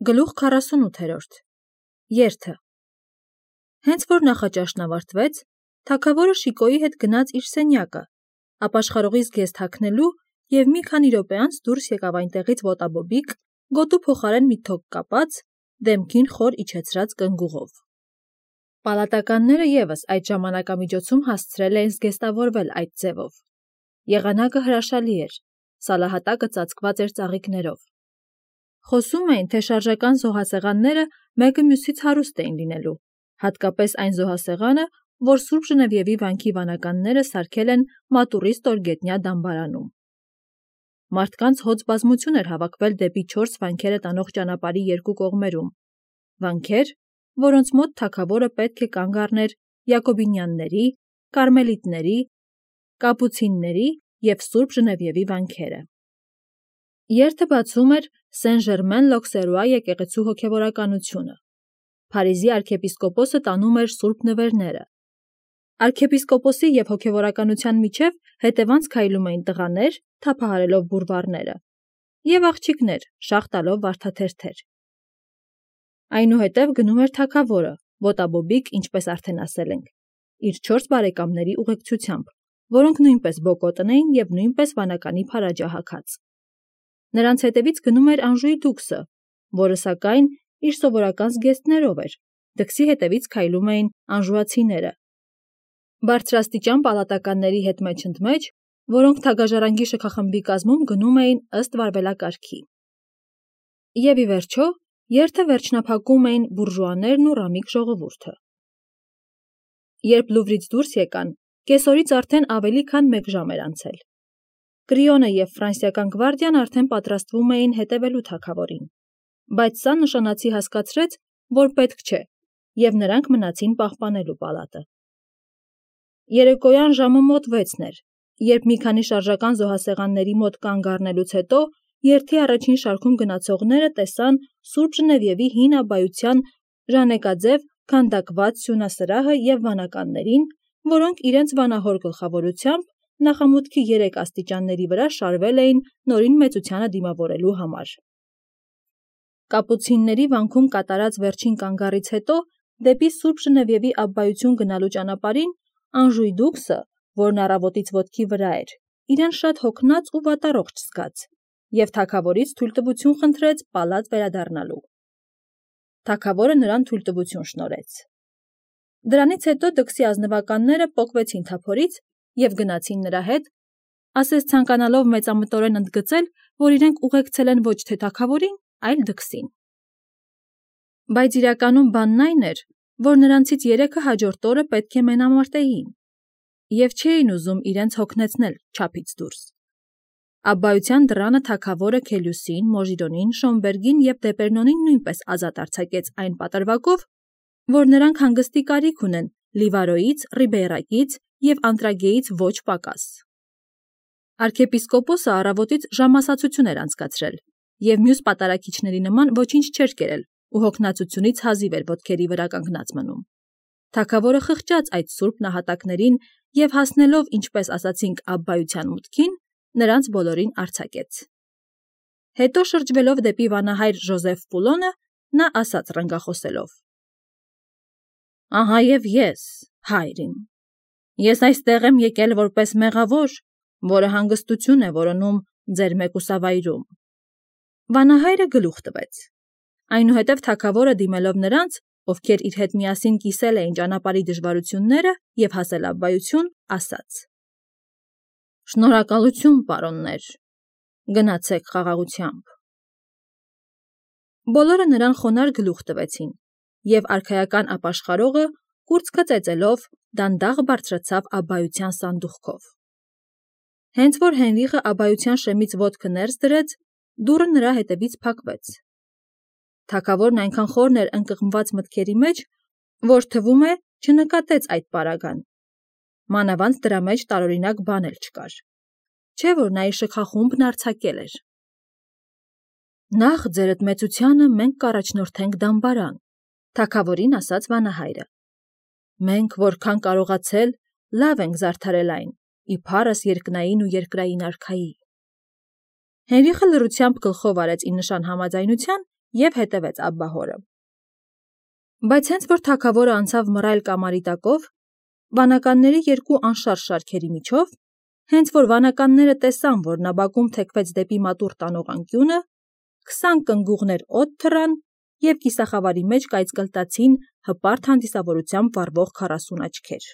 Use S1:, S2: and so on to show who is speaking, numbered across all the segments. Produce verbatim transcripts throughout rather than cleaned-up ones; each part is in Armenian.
S1: Գլուխ քառասունութերորդ Երթը Հենց որ նախաճաշն ավարտվեց, թագավորը Շիկոյի հետ գնաց իր սենյակը, ապաշխարողի զգեստ հագնելու և մի քանի րոպե անց դուրս եկավ այնտեղից ոտաբոբիկ, գոտու փոխարեն մի թոկ կապած, դեմքին խոր իջեցրած կնգուղով։ Պալատականները ևս այդ ժամանակամիջոցում հասցրել էին զգեստավորվել այդ ձևով։ Եղանակը հրաշալի էր, սալահատակը ծածկված էր ծաղիկներով։ Խոսում էին, թե շարժական զոհասեղանները մեկը մյուսից հարուստ էին լինելու, հատկապես այն զոհասեղանը, որ Սուրբ Ժնևիևի վանքի վանականները սարքել են Մատուռի ստորգետնյա դամբարանում։ Մարդկանց հոծ բազմություն էր հավաքվել դեպի չորս վանքերը տանող ճանապարհի երկու կողմերում, վանքեր, որոնց մոտ թագավորը պետք է կանգ առներ յակոբինյանների, կարմելիտների, կապուցինների և Սուրբ Ժնևիևի վանքերը։ Երթը բացում էր Սեն-Ժերմեն-Լոքսերուա եկեղեցու հոգևորականությունը։ Փարիզի արքեպիսկոպոսը տանում էր սուրբ նվերները։ Արքեպիսկոպոսի և հոգևորականության միջև հետևանց քայլում էին տղաներ, թափահարելով բուրվառները, և աղջիկներ, շաղ տալով վարդաթերթեր։ Այնուհետև գնում էր թագավորը, ոտաբոբիկ, ինչպես արդեն ասել ենք, իր չորս բարեկամների ուղեկցությամբ, որոնք նույնպես բոկոտն էին և նույնպես վանականի փարաջահագած։ Նրանց հետևից գնում էր Անժուի դուքսը, որը, սակայն, իր սովորական զգեստներով էր, դքսի հետևից քայլում էին անժուացիները, բարձրաստիճան պալատականների հետ մեջ-ընդմեջ, որոնք թագաժառանգի շքախմբի կազմում գնում էին ըստ վարվելակարգի։ Եվ ի վերջո, երթը վերջնափակում էին բուրժուաներն ու ռամիկ ժողովուրդը։ Երբ Լուվրից դուրս եկան, կեսօրից արդեն ավելի քան մեկ ժամ էր անցել։ Կրիոնը և ֆրանսիական գվարդիան արդեն պատրաստվում էին հետևելու թագավորին, բայց սա նշանացի հասկացրեց, որ պետք չէ, և նրանք մնացին պահպանելու պալատը։ Երեկոյան ժամը մոտ վեցն էր, երբ մի քանի շարժական զոհասեղանների մոտ կանգ առնելուց հետո երթի առաջին շարքում գնացողները տեսան Սուրբ Ժնևիևի հին աբբայության ժանեկաձև քանդակված սյունասրահը և վանականներին, որոնք իրենց վանահոր գլխավորությամբ նախամուտքի երեք աստիճանների վրա շարվել էին նորին մեծությանը դիմավորելու համար։ Կապուցինների վանքում կատարած վերջին կանգառից հետո դեպի Սուրբ Ժնևիևի աբբայություն գնալու ճանապարհին Անժուի դուքսը, որն առավոտից ոտքի վրա էր, իրեն շատ հոգնած ու վատառողջ զգաց և թագավորից թույլտվություն խնդրեց պալատ վերադառնալու։ Թագավորը նրան թույլտվություն շնորհեց։ Դրանից հետո դքսի ազնվականները պոկվեցին թափորից և գնացին նրա հետ, ասես ցանկանալով մեծամտորեն ընդգծել, որ իրենք ուղեկցել են ոչ թե թագավորին, այլ դքսին։ Բայց իրականում բանն այն էր, որ նրանցից երեքը հաջորդ օրը պետք է մենամարտեին, և չէին ուզում իրենց հոգնեցնել չափից դուրս։ Աբբայության դռանը թագավորը Քելյուսին, Մոժիրոնին, Շոմբերգին և Դեպերնոնին նույնպես ազատ արձակեց այն պատրվակով, որ նրանք հանգստի կարիք ունեն Լիվարոյից, Ռիբեյրակից և Անտրագեից ոչ պակաս։ Արքեպիսկոպոսը առավոտից ժամասացություն էր անցկացրել և մյուս պատարագիչների նման ոչինչ չէր կերել ու հոգնածությունից հազիվ էր ոտքերի վրա կանգնած մնում։ Թագավորը խղճաց այդ սուրբ նահատակներին և հասնելով, ինչպես ասացինք, աբբայության մուտքին, նրանց բոլորին արձակեց։ Հետո շրջվելով դեպի վանահայր Ժոզեֆ Պուլոնը, նա ասաց ռնգախոսելով. «Ահա և ես, հայր իմ, ես այստեղ եմ եկել որպես մեղավոր, որը հանգստություն է որոնում ձեր մեկուսավայրում»։ Վանահայրը գլուխ տվեց։ Այնուհետև թագավորը դիմելով նրանց, ովքեր իր հետ միասին կիսել էին ճանապարհի դժվարությունները և հասել աբբայություն, ասաց. «Շնորհակալություն, պարոններ, գնացեք խաղաղությամբ»։ Բոլորը նրան խոնարհ գլուխ տվեցին, և արքայական ապաշխարողը, կուրծքը ծեծելով, դանդաղ բարձրացավ աբբայության սանդուղքով։ Հենց որ Հենրիխը աբբայության շեմից ոտքը ներս դրեց, դուռը նրա հետևից փակվեց։ Թագավորն այնքան խորն էր ընկղմված մտքերի մեջ, որ թվում է չնկատեց այդ պարագան։ Մանավանդ դրա մեջ տարօրինակ բան էլ չկար, չէ՞ որ նա իր շքախումբն արձակել էր։ Նախ ձերդ մեծությանը մենք կառաջնորդենք դամբարան, թագավորին ասաց վանահայրը։ Մենք, որքան կարողացել, լավ ենք զարդարել այն, իբարս երկնային ու երկրային արքայի։ Հենրիխը լռությամբ գլխով արեց ի նշան համաձայնության և հետևեց Աբբահորը։ Բայց հենց որ թագավորը անցավ մռայլ կամարի տակով, վանականների երկու անշարժ շարքերի միջով, հենց որ վանականները տեսան, որ նա բակում թեքվեց դեպի մատուռ տանող անկյունը, քսան կնգուղներ օդ թռան և կիսախավարի մեջ կայծկլտացին հպարտ հանդիսավորությամբ վառվող քառասուն աչքեր։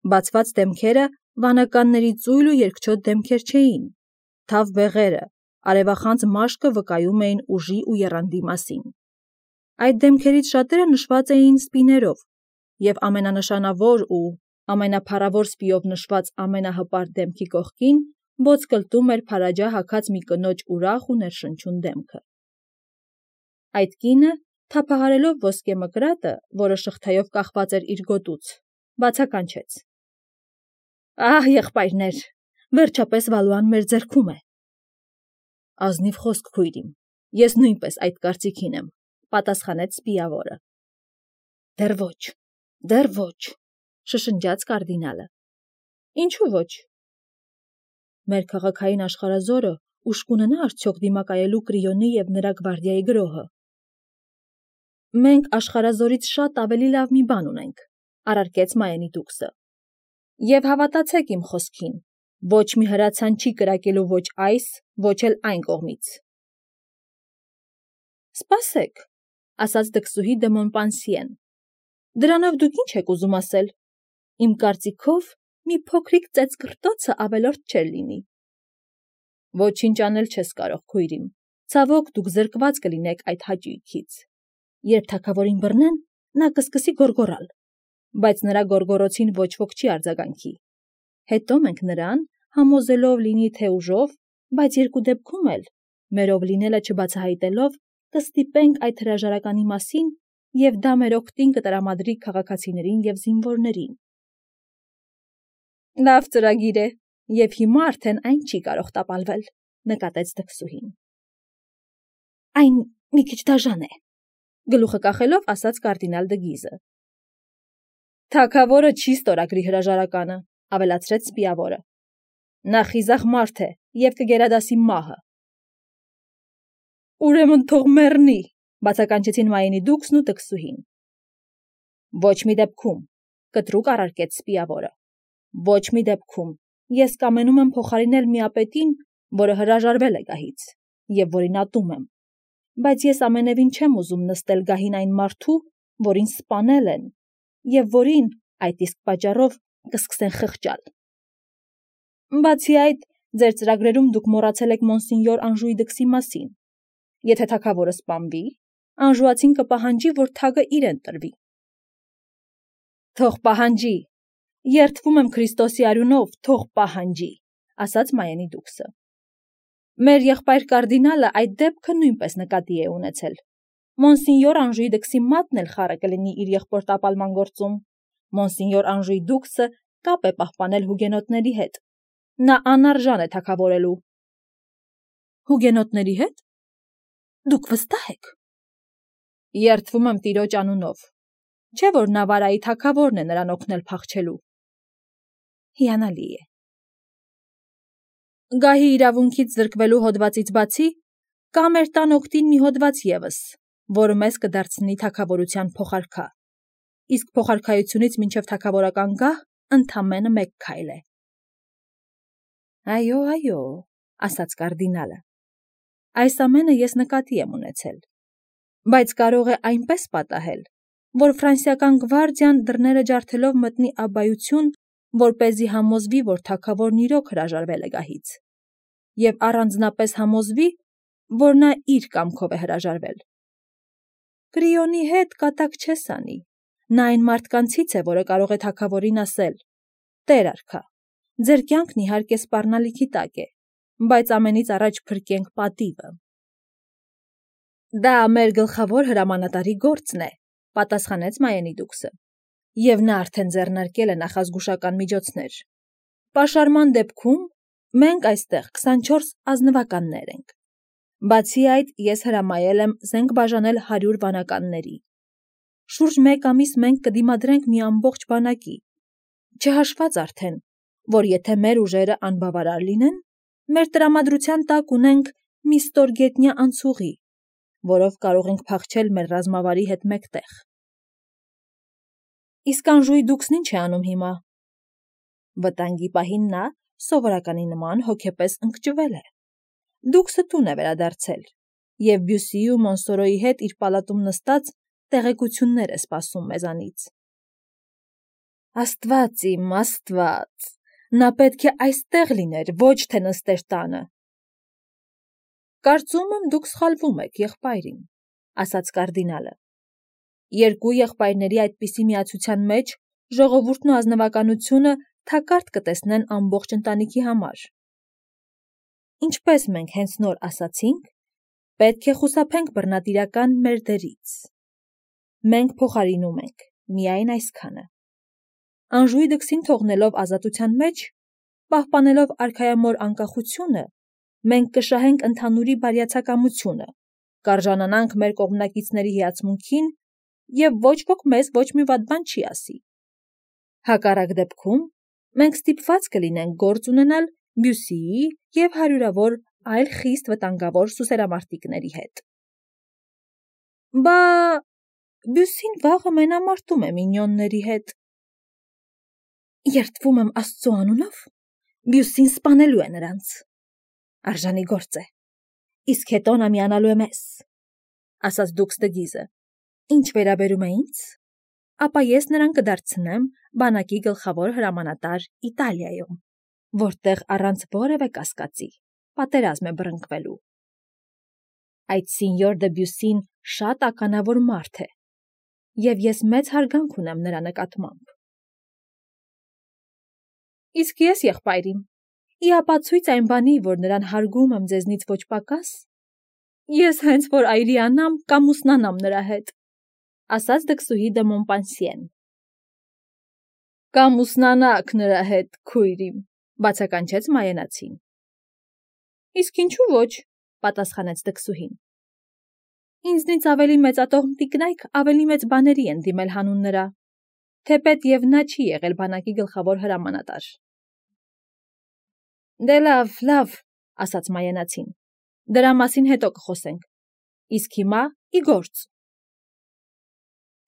S1: Բացված դեմքերը վանականների ծույլ ու երկչոտ դեմքեր չէին, թավ բեղերը, արևախանձ մաշկը վկայում էին ուժի ու եռանդի մասին։ Այդ դեմքերից շատերը նշված էին սպիներով, և ամենանշանավոր ու ամենափառավոր սպիով նշված ամենահպարտ դեմքի կողքին ոտկլտում էր փարաջա հագած մի կնոջ ուրախ ու ներշնչուն դեմքը։ Այդ կինը, թափահարելով ոսկե մկրատը, որը շղթայով կախված էր իր գոտուց, բացականչեց. «Ահ, եղբայրներ, վերջապես Վալուան մեր ձեռքում է»։ «Ազնիվ խոսք, քույր իմ, ես նույնպես այդ կարծիքին եմ», պատասխանեց սպիավորը։ «Դեռ ոչ, դեռ ոչ», շշնջաց կարդինալը։ «Ինչու ոչ»։ «Մեր քաղաքային աշխարհազորը ուժ կունենա արդյոք դիմակայելու Կրիոնի և նրա գվարդիայի գրոհը»։ «Մենք աշխարհազորից շատ ավելի լավ մի բան ունենք», առարկեց Մայենի դուքսը։ «Եվ հավատացեք իմ խոսքին, ոչ մի հրացան չի կրակելու ոչ այս, ոչ էլ այն կողմից»։ «Սպասեք», ասաց դքսուհի դը Մոնպանսիեն, «դրանով դուք ի՞նչ եք ուզում ասել։ Իմ կարծիքով, մի փոքրիկ ծեծկռտոցը ավելորդ չէր լինի»։ «Ոչինչ անել չես կարող, քույր իմ, ցավոք դուք զրկված կլինեք այդ հաճույքից։ Երբ թագավորին բռնեն, նա կսկսի գոռգոռալ, բայց նրա գոռգոռոցին ոչ ոք չի արձագանքի։ Հետո մենք նրան, համոզելով լինի թե ուժով, բայց երկու դեպքում էլ, մերով լինելը չբացահայտելով, կստիպենք այդ հրաժարականի մասին և դա մեր օգտին կտրամադրի քաղաքացիներին և զինվորներին»։ «Լավ ծրագիր է, և հիմա արդեն այն չի կարող տապալվել», նկատեց դքսուհին։ «Այն մի քիչ դաժան է», գլուխը կախելով ասաց կարդինալ դը Գիզը։ «Թագավորը չի ստորագրի հրաժարականը», ավելացրեց սպիավորը։ «Նա խիզախ մարդ է և կգերադասի մահը»։ «Ուրեմն թող մեռնի», բացականչեցին Մայենի դուքսն ու դքսուհին։ «Ոչ մի դեպքում», կտրուկ առարկեց սպիավորը։ «Ոչ մի դեպքում ես կամենում եմ փոխարինել միապետին, որը հրաժարվել է գահից, և որին ատում եմ, բայց ես ամենևին չեմ ուզում նստել գահին այն մարդու, որին սպանել են, և որին այդ իսկ պատճառով կսկսեն խղճալ։ Բացի այդ, ձեր ծրագրերում դուք մոռացել եք մոնսինյոր Անժուի դքսի մասին։ Եթե թագավորը սպանվի, անժուացին կպահանջի, որ թագը իրեն տրվի»։ «Թող պահանջի, երդվում եմ Քրիստոսի արյունով, թող պահանջի», ասաց Մայենի դուքսը։ «Մեր եղբայր կարդինալը այդ դեպքը նույնպես նկատի է ունեցել։ Մոնսինյոր Անժուի դքսի մատն էլ խառը կլինի իր եղբոր տապալման գործում։ Մոնսինյոր Անժուի դուքսը կապ է պահպանել հուգենոտների հետ։ Նա անարժան է թագավորելու»։ «Հուգենոտների հետ։ Դուք վստահ եք»։ «Երդվում եմ տիրոջ անունով, չէ՞ որ Նավարայի թագավորն է նրան օգնել փախչելու»։ «Հիանալի է»։ «Գահի իրավունքից զրկվելու հոդվածից բացի, կա մեր տան օգտին մի հոդված ևս, որը մեզ կդարձնի թագավորության փոխարքա, իսկ փոխարքայությունից մինչև թագավորական գահ ընդամենը մեկ քայլ է»։ «Այո, այո», ասաց կարդինալը, «այս ամենը ես նկատի եմ ունեցել, բայց կարող է այնպես պատահել, որ ֆրանսիական գվարդիան դռները ջարդելով մտնի Աբբայություն, որպեսզի համոզվի, որ թագավորն իրոք հրաժարվել է գահից, և առանձնապես համոզվի, որ նա իր կամքով է հրաժարվել։ Կրիոնի հետ կատակ չես անի, նա այն մարդկանցից է, որը կարող է թագավորին ասել. «Տեր արքա, ձեր կյանքն իհարկե սպառնալիքի տակ է, բայց ամենից առաջ փրկենք պատիվը»։ «Դա մեր գլխավոր հրամանատարի գործն է», պատասխանեց Մայենի դուքսը, «և նա արդեն ձեռնարկել է նախազգուշական միջոցներ։ Պաշարման դեպքում մենք այստեղ քսանչորս ազնվականներ ենք։ Բացի այդ, ես հրամայել եմ զենք բաժանել հարյուր վանականների։ Շուրջ մեկ ամիս մենք կդիմադրենք մի ամբողջ բանակի, չհաշված արդեն, որ եթե մեր ուժերը անբավարար լինեն, մեր տրամադրության տակ ունենք մի ստորգետնյա անցուղի, որով կարող ենք փախչել մեր ռազմավարի հետ մեկտեղ։ Իսկ Անժուի դուքսն ինչ է անում հիմա։ Վտանգի պահին նա սովորականի նման հոգեպես ընկճվել է։ Դուքսը տուն է վերադարձել, և Բյուսիի ու Մոնսորոյի հետ իր պալատում նստած տեղեկություններ է սպասում մեզանից։ Աստված իմ, Աստված, նա պետք է այստեղ լիներ, ոչ թե նստեր տանը։ Կարծում եմ դուք սխալվում եք, եղբայր իմ, ասաց կարդինալը։ Երկու եղբայրների այդպիսի միացության մեջ ժողովուրդն ու ազնվականությունը թակարդ կտեսնեն ամբողջ ընտանիքի համար։ Ինչպես մենք հենց նոր ասացինք, պետք է խուսափենք բռնատիրական մեր դերից։ Մենք փոխարինում ենք միայն այսքանը. Անժուի դքսին թողնելով ազատության մեջ, պահպանելով արքայամոր անկախությունը, մենք կշահենք ընդհանուրի բարյացակամությունը, կարժանանանք մեր կողմնակիցների հիացմունքին և ոչ ոք մեզ ոչ մի վատ բան չի ասի։ Հակառակ դեպքում մենք ստիպված կլինենք գործ ունենալ Բյուսիի և հարյուրավոր այլ խիստ վտանգավոր սուսերամարտիկների հետ։ Բա Բյուսին վաղը մենամարտում է մինյոնների հետ։ Երդվում եմ Աստծո անունով, Բյուսին սպանելու է նրանց։ Արժանի գործ է, իսկ հետո նա միանալու է մեզ, ասաց դուքս Դգիզը։ Ինչ վերաբերում է ինձ, ապա ես նրան կդարձնեմ բանակի գլխավոր հրամանատար Իտալիայում, որտեղ առանց որևէ կասկածի պատերազմ է բռնկվելու։ Այդ սինյոր դը Բյուսին շատ ականավոր մարդ է, և ես մեծ հարգանք ունեմ նրա նկատմամբ։ Իսկ ես, եղբայրիմ, ի ապացույց այն բանի, որ նրան հարգում եմ ձեզնից ոչ պակաս, ես հենց որ այրիանամ կամ ուսնանամ նրա հետ, ասաց դքսուհի դը Մոնպանսիեն։ Կամ ուսնանաք նրա հետ, քույր իմ, բացականչեց Մայենացին։ Իսկ ինչու ոչ, պատասխանեց դքսուհին։ Ինձնից ավելի մեծատողմ տիկնայք ավելի մեծ բաների են դիմել հանուն նրա, թեպետ և նա չի եղել բանակի գլխավոր հրամանատար։ Դե լավ, լավ, ասաց Մայենացին, դրա մասին հետո կխոսենք, իսկ հիմա ի գործ։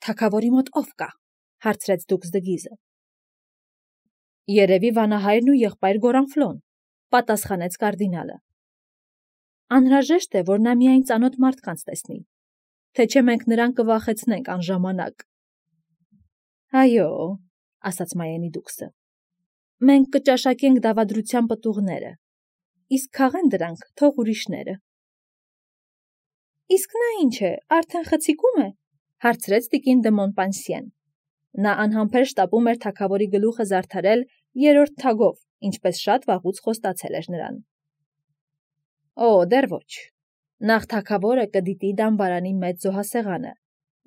S1: Թագավորի մոտ ով կա, հարցրեց դուքս Դգիզը։ Երևի վանահայրն ու եղբայր Գորանֆլոն, պատասխանեց կարդինալը։ Անհրաժեշտ է, որ նա միայն ծանոթ մարդկանց տեսնի, թե չէ մենք նրան կվախեցնենք անժամանակ։ Այո, ասաց Մայենի դուքսը, մենք կճաշակենք դավադրության պտուղները, իսկ քաղեն դրանք թող ուրիշները։ Իսկ նա ինչ է, արդեն խցիկում է, հարցրեց տիկին դը Մոնպանսիեն։ Նա անհամբեր շտապում էր թագավորի գլուխը զարդարել երրորդ թագով, ինչպես շատ վաղուց խոստացել էր նրան։ Օ, դեռ ոչ։ Նախ թագավորը կդիտի դամբարանի մեծ զոհասեղանը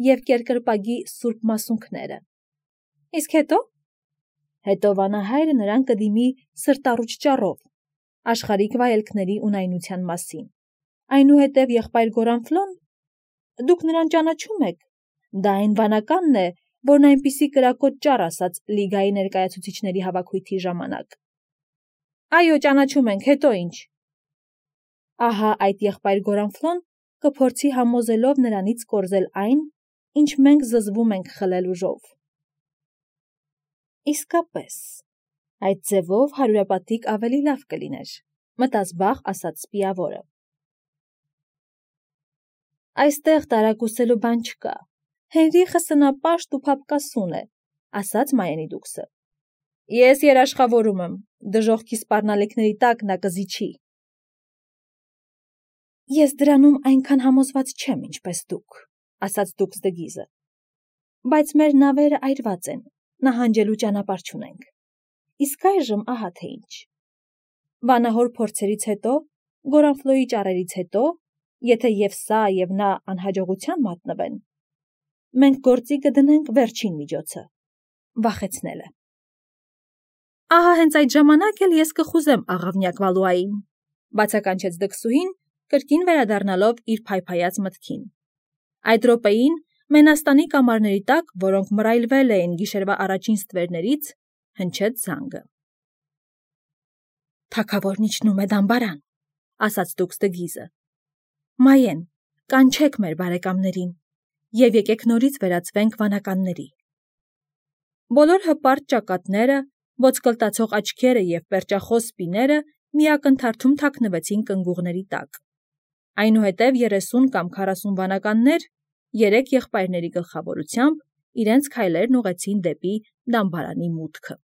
S1: և կերկրպագի սուրբ մասունքները։ Իսկ հետո։ Հետո վանահայրը նրան կդիմի սրտառուչ ճառով, աշխարհիկ վայելքների ունայնության մասին։ Այնուհետև եղբայր Գորանֆլոն, դուք նրան ճանաչում եք, դա այն վանականն է, որն այնպիսի կրակոտ ճառ ասաց լիգայի ներկայացուցիչների հավաքույթի ժամանակ։ Այո, ճանաչում ենք, հետո ինչ։ Ահա այդ եղբայր Գորանֆլոն կփորձի համոզելով նրանից կորզել այն, ինչ մենք զզվում ենք խլել ուժով։ Իսկապես, այդ ձևով հարյուրապատիկ ավելի լավ կլիներ, մտած բախ ասաց սպիավորը։ Այստեղ տարակուսելու բան չկա, Հենրիխը սնապաշտ ու փափկասուն է, ասաց Մայենի դուքսը։ Ես երաշխավորում եմ, դժոխքի սպառնալիքների տակ նա կզիջի։ Ես դրանում այնքան համոզված չեմ, ինչպես դուք, ասաց դուքս Դգիզը, բայց մեր նավերը այրված են, նահանջելու ճանապարհ չունենք։ Իսկ այժմ ահա թե ինչ։ Վանահոր փորձերից հետո, Գորանֆլոյի ճառերից հետո, եթե և սա և նա անհաջողության մատնվեն, մենք գործի կդնենք վերջին միջոցը՝ վախեցնելը։ Ահա հենց այդ ժամանակ էլ ես կխուզեմ աղավնյակ Վալուային, բացականչեց դքսուհին, կրկին վերադառնալով իր փայփայած մտքին։ Այդ րոպեին Մենաստանի կամարների տակ, որոնք մռայլվել էին գիշերվա առաջին ստվերներից, հնչեց զանգը։ Թագավորն իջնում է դամբարան, ասաց դուքս Դգիզը։ Մայեն, կանչեք մեր բարեկամներին և եկեք նորից վերածվենք վանականների։ Բոլոր հպարտ ճակատները, ոսկլտացող աչքերը և պերճախոս սպիները մի ակնթարթում թաքնվեցին կնգուղների տակ։ Այնուհետև երեսուն կամ քառասուն վանականներ, երեք եղբայրների գլխավորությամբ, իրենց քայլերն ուղղեցին դեպի դամբարանի մուտքը։